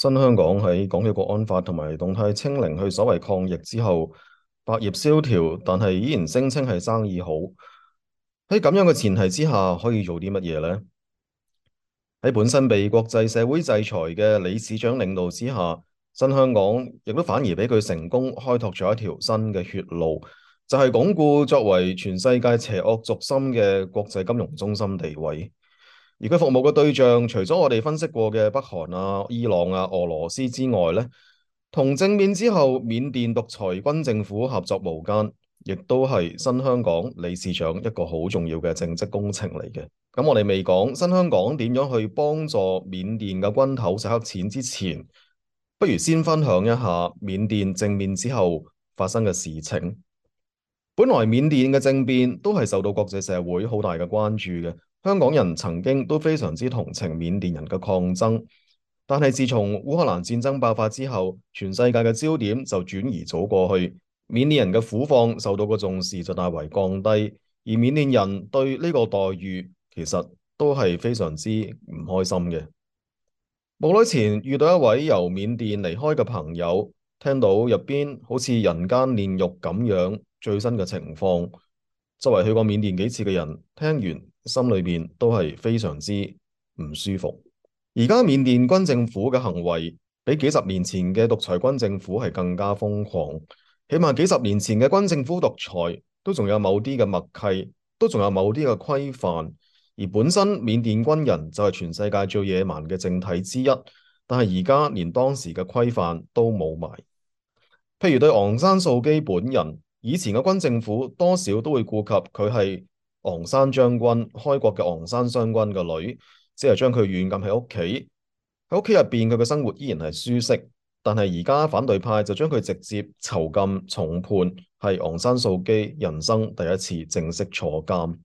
新香港喺港區國安法同埋動態清零去所謂抗疫之後，百業蕭條，但係依然聲稱係生意好。喺咁樣嘅前提之下，可以做啲乜嘢呢？喺本身被國際社會制裁嘅李市長領導之下，新香港亦都反而俾佢成功開拓咗一條新嘅血路，就係鞏固作為全世界邪惡軸心嘅國際金融中心地位。而佢服務嘅對象，除咗我哋分析過嘅北韓啊、伊朗啊、俄羅斯之外呢，同政變之後緬甸獨裁軍政府合作無間，亦都係新香港理事長一個好重要嘅政績工程嚟嘅。咁我哋未講新香港點樣去幫助緬甸嘅軍頭洗黑錢之前，不如先分享一下緬甸政變之後發生嘅事情。本來緬甸嘅政變都係受到國際社會好大嘅關注嘅，香港人曾經都非常之同情緬甸人嘅抗爭，但係自從烏克蘭戰爭爆發之後，全世界嘅焦點就轉移咗過去，緬甸人嘅苦況受到嘅重視就大為降低，而緬甸人對呢個待遇其實都係非常之唔開心嘅。冇耐前遇到一位由緬甸離開嘅朋友，聽到入邊好似人間煉獄咁樣最新嘅情況，作為去過緬甸幾次嘅人，聽完心裏邊都係非常之唔舒服。而家緬甸軍政府嘅行為比幾十年前嘅獨裁軍政府係更加瘋狂，起碼幾十年前嘅軍政府獨裁都仲有某啲嘅默契，都仲有某啲嘅規範。而本身緬甸軍人就係全世界最野蠻嘅政體之一，但係而家連當時嘅規範都冇埋。譬如對昂山素基本人，以前嘅軍政府多少都會顧及佢係昂山將軍開國嘅昂山將軍嘅女，只係將佢軟禁喺屋企，喺屋企入邊佢嘅生活依然係舒適。但係而家反對派就將佢直接囚禁重判，係昂山素基人生第一次正式坐監。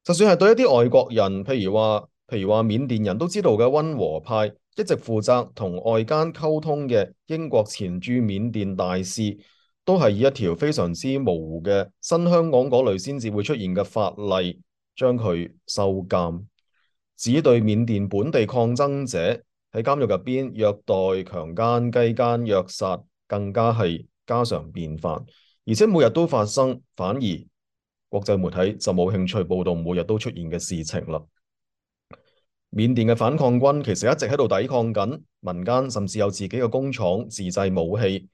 就算係對一啲外國人，譬如話緬甸人都知道嘅溫和派，一直負責同外間溝通嘅英國前駐緬甸大使，都係以一條非常之模糊嘅新香港嗰類先至會出現嘅法例，將佢收監，只對緬甸本地抗爭者喺監獄入邊虐待、強姦、雞姦、虐殺，更加係家常便飯，而且每日都發生，反而國際媒體就冇興趣報道每日都出現嘅事情啦。緬甸嘅反抗軍其實一直喺度抵抗緊，民間甚至有自己嘅工廠自製武器。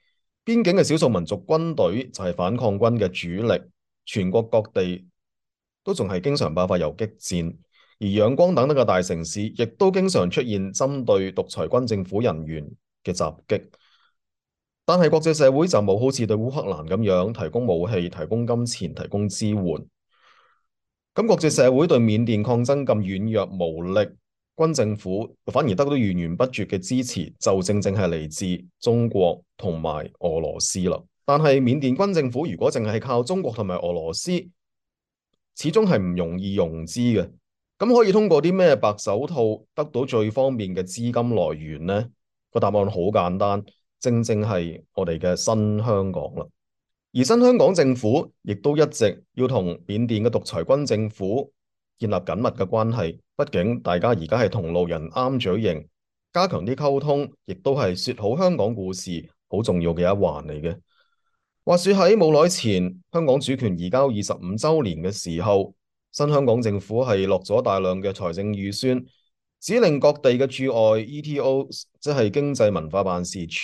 邊境嘅少數民族軍隊就係反抗軍嘅主力，全國各地都仲係經常爆發游擊戰，而仰光等等嘅大城市亦都經常出現針對獨裁軍政府人員嘅襲擊。但係國際社會就冇好似對烏克蘭咁樣提供武器、提供金錢、提供支援。咁國際社會對緬甸抗爭咁軟弱無力，軍政府反而得到源源不絕嘅支持，就正正係嚟自中國同埋俄羅斯啦。但係緬甸軍政府如果淨係靠中國同埋俄羅斯，始終係唔容易融資嘅。咁可以通過啲咩白手套得到最方便嘅資金來源呢？個答案好簡單。正正係我哋嘅新香港啦，而新香港政府亦都一直要同緬甸嘅獨裁軍政府建立緊密嘅關係，畢竟大家而家係同路人啱嘴型，加強啲溝通，亦都係說好香港故事好重要嘅一環嚟嘅。話說喺冇耐前，香港主權移交25週年嘅時候，新香港政府係落咗大量嘅財政預算，指令各地嘅駐外 ETO， 即係經濟文化辦事處，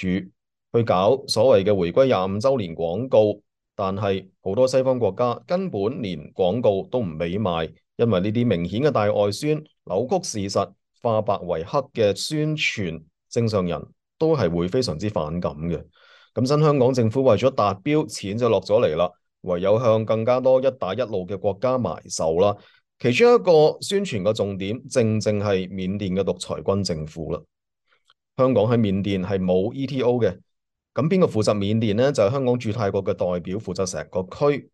去搞所謂嘅回歸25週年廣告。但係好多西方國家根本連廣告都唔俾賣，因為呢啲明顯嘅大外宣、扭曲事實、化白為黑嘅宣傳，正常人都係會非常之反感嘅。咁新香港政府為咗達標，錢就落咗嚟啦，唯有向更加多一帶一路嘅國家埋手啦。其中一個宣傳嘅重點，正正係緬甸嘅獨裁軍政府啦。香港喺緬甸係冇 ETO 嘅，咁邊個負責緬甸呢？就係香港駐泰國嘅代表負責成個區。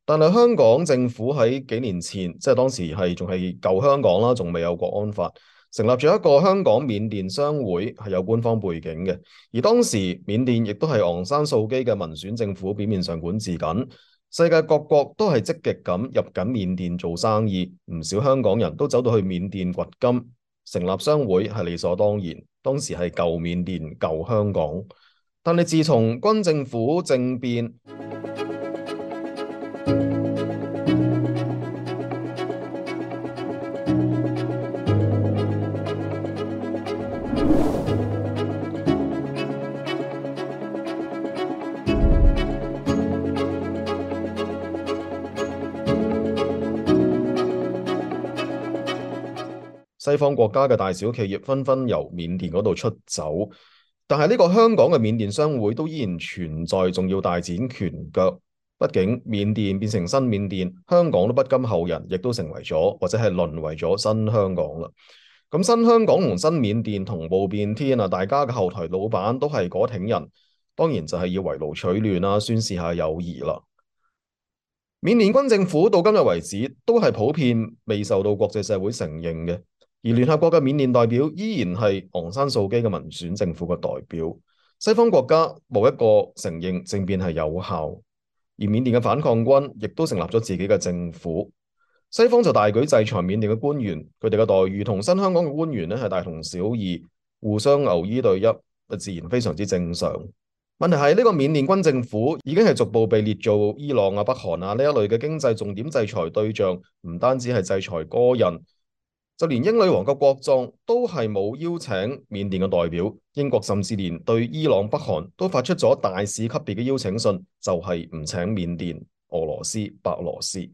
但係香港政府喺幾年前，即係當時係仲係舊香港啦，仲未有國安法，成立咗一個香港緬甸商會，係有官方背景嘅。而當時緬甸亦都係昂山素基嘅民選政府表面上管治緊。世界各國都係積極咁入緊緬甸做生意，唔少香港人都走到去緬甸掘金，成立商會係理所當然。當時係舊緬甸、舊香港。但係自從軍政府政變，西方國家嘅大小企業紛紛由緬甸嗰度出走，但係呢個香港嘅緬甸商會都依然存在，仲要大展拳腳。畢竟緬甸變成新緬甸，香港都不甘後人，亦都成為咗或者係淪為咗新香港啦。咁新香港同新緬甸同步變天啊！大家嘅後台老闆都係嗰挺人，當然就係要圍爐取暖啦，宣示下友誼啦。緬甸軍政府到今日為止都係普遍未受到國際社會承認嘅。而聯合國嘅緬甸代表依然係昂山素姬嘅民選政府嘅代表，西方國家冇一個承認政變係有效，而緬甸嘅反抗軍亦都成立咗自己嘅政府，西方就大舉制裁緬甸嘅官員，佢哋嘅待遇同新香港嘅官員咧係大同小異，互相牛衣對泣，自然非常之正常。問題係呢個緬甸軍政府已經係逐步被列做伊朗啊、北韓啊呢一類嘅經濟重點制裁對象，唔單止係制裁個人。就連英女王嘅國葬都係冇邀請緬甸嘅代表，英國甚至連對伊朗、北韓都發出咗大使級別嘅邀請信，就係唔請緬甸、俄羅斯、白羅斯。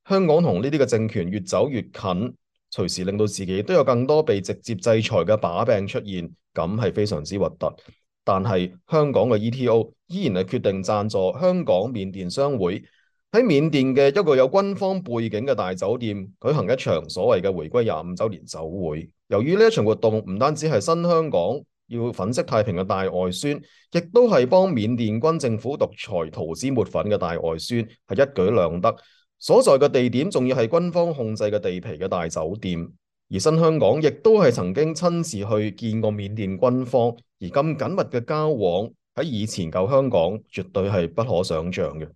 香港同呢啲嘅政權越走越近，隨時令到自己都有更多被直接制裁嘅把柄出現，咁係非常之核突。但係香港嘅 ETO 依然係決定贊助香港緬甸商會，喺緬甸嘅一個有軍方背景嘅大酒店舉行一場所謂嘅回歸25週年酒會。由於呢一場活動唔單止係新香港要粉飾太平嘅大外宣，亦都係幫緬甸軍政府獨裁塗脂抹粉嘅大外宣，係一舉兩得。所在嘅地點仲要係軍方控制嘅地皮嘅大酒店，而新香港亦都係曾經親自去見過緬甸軍方，而咁緊密嘅交往喺以前舊香港絕對係不可想像嘅。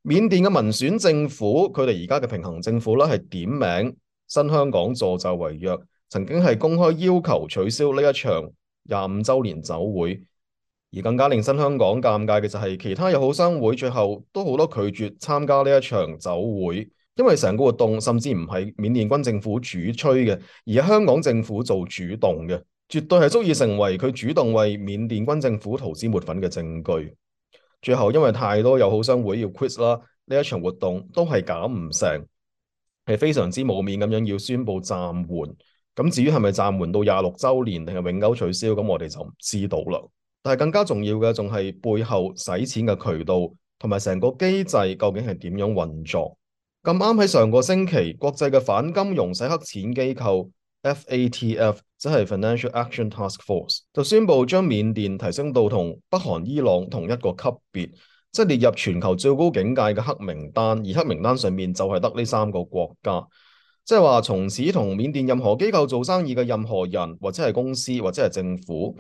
緬甸嘅民選政府，佢哋而家嘅平衡政府啦，係點名新香港助紂為虐，曾經係公開要求取消呢一場25週年酒會。而更加令新香港尷尬嘅就係，其他友好商會最後都好多拒絕參加呢一場酒會，因為成個活動甚至唔係緬甸軍政府主催嘅，而係香港政府做主動嘅，絕對係足以成為佢主動為緬甸軍政府塗脂抹粉嘅證據。最後因為太多友好商會要 quit 啦，呢一場活動都係搞唔成，係非常之冇面咁樣要宣布暫緩。咁至於係咪暫緩到26週年定係永久取消，咁我哋就唔知道啦。但係更加重要嘅仲係背後使錢嘅渠道同埋成個機制究竟係點樣運作。咁啱喺上個星期，國際嘅反金融洗黑錢機構 FATF 即係 Financial Action Task Force 就宣布將緬甸提升到同北韓、伊朗同一個級別，即係列入全球最高境界嘅黑名單，而黑名單上面就係得呢3個國家，即係話從此同緬甸任何機構做生意嘅任何人或者係公司或者係政府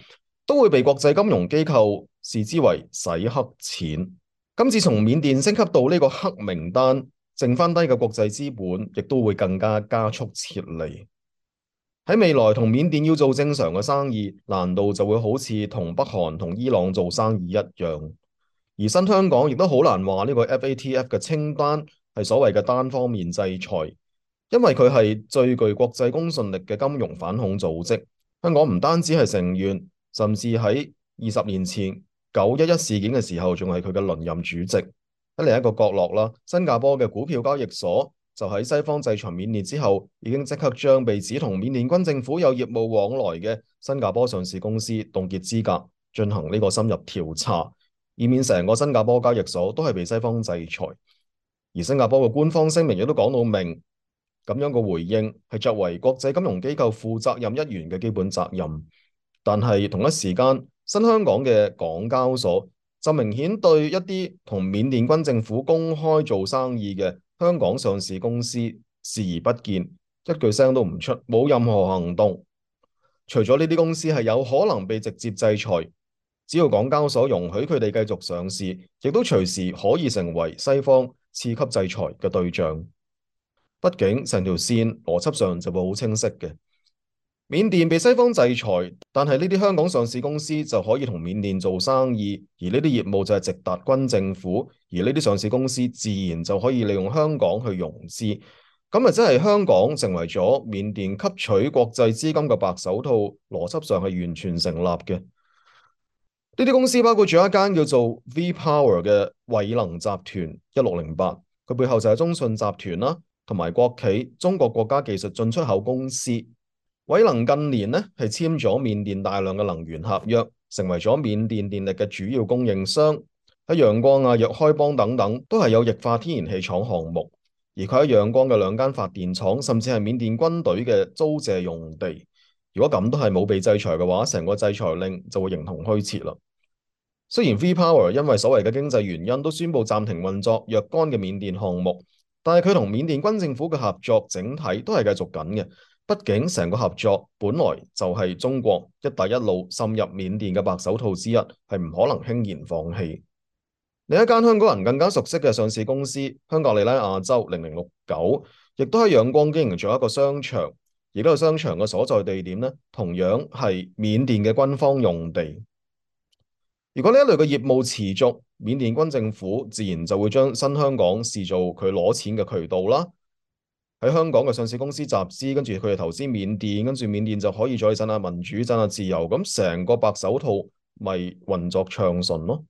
都會被國際金融機構視之為洗黑錢。今次從緬甸升級到呢個黑名單，剩翻低嘅國際資本亦都會更加加速撤離。喺未來同緬甸要做正常嘅生意，難道就會好似同北韓同伊朗做生意一樣？而新香港亦都好難話呢個 FATF 嘅清單係所謂嘅單方面制裁，因為佢係最具國際公信力嘅金融反恐組織。香港唔單止係成員，甚至喺20年前911事件嘅時候，仲係佢嘅輪任主席。喺另一個角落啦，新加坡嘅股票交易所就喺西方制裁緬甸之後，已經即刻將被指同緬甸軍政府有業務往來嘅新加坡上市公司凍結資格，進行呢個深入調查，以免成個新加坡交易所都係被西方制裁。而新加坡嘅官方聲明亦都講到明，咁樣嘅回應係作為國際金融機構負責任一員嘅基本責任。但係同一時間，新香港嘅港交所就明顯對一啲同緬甸軍政府公開做生意嘅香港上市公司視而不見，一句聲都唔出，冇任何行動。除咗呢啲公司係有可能被直接制裁，只要港交所容許佢哋繼續上市，亦都隨時可以成為西方次級制裁嘅對象。畢竟成條線邏輯上就會好清晰嘅。緬甸被西方制裁，但係呢啲香港上市公司就可以同緬甸做生意，而呢啲業務就係直達軍政府，而呢啲上市公司自然就可以利用香港去融資，咁啊即係香港成為咗緬甸吸取國際資金嘅白手套，邏輯上係完全成立嘅。呢啲公司包括咗一間叫做 V Power 嘅偉能集團1608，佢背後就係中信集團啦，同埋國企中國國家技術進出口公司。偉能近年呢係簽咗緬甸大量嘅能源合約，成為咗緬甸電力嘅主要供應商。喺陽光啊、若開邦等等都係有液化天然氣廠項目，而佢喺陽光嘅兩間發電廠，甚至係緬甸軍隊嘅租借用地。如果咁都係冇被制裁嘅話，成個制裁令就會形同虛設啦。雖然 V Power 因為所謂嘅經濟原因都宣布暫停運作若干嘅緬甸項目，但係佢同緬甸軍政府嘅合作整體都係繼續緊嘅。畢竟成個合作本來就係中國一帶一路滲入緬甸嘅白手套之一，係唔可能輕言放棄。另一間香港人更加熟悉嘅上市公司香格里拉亞洲0069，亦都喺仰光經營咗一個商場，而呢個商場嘅所在地點呢，同樣係緬甸嘅軍方用地。如果呢一類嘅業務持續，緬甸軍政府自然就會將新香港視做佢攞錢嘅渠道啦。喺香港嘅上市公司集資，跟住佢哋投資緬甸，跟住緬甸就可以再賺下民主、賺下自由，咁成個白手套咪運作暢順咯。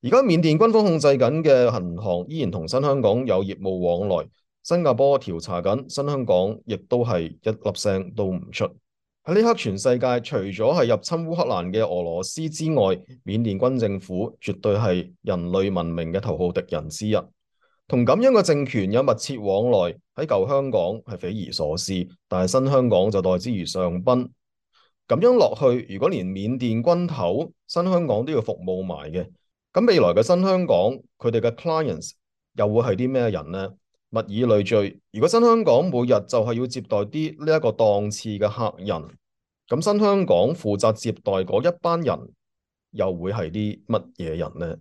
而家緬甸軍方控制緊嘅銀行依然同新香港有業務往來，新加坡調查緊，新香港亦都係一粒聲都唔出。喺呢刻，全世界除咗係入侵烏克蘭嘅俄羅斯之外，緬甸軍政府絕對係人類文明嘅頭號敵人之一。同咁樣嘅政權有密切往來，喺舊香港係匪夷所思，但係新香港就待之如上賓。咁樣落去，如果連緬甸軍頭新香港都要服務埋嘅，咁未來嘅新香港佢哋嘅 clients 又會係啲咩人呢？物以類聚，如果新香港每日就係要接待啲呢一個檔次嘅客人，咁新香港負責接待嗰一班人又會係啲乜嘢人呢？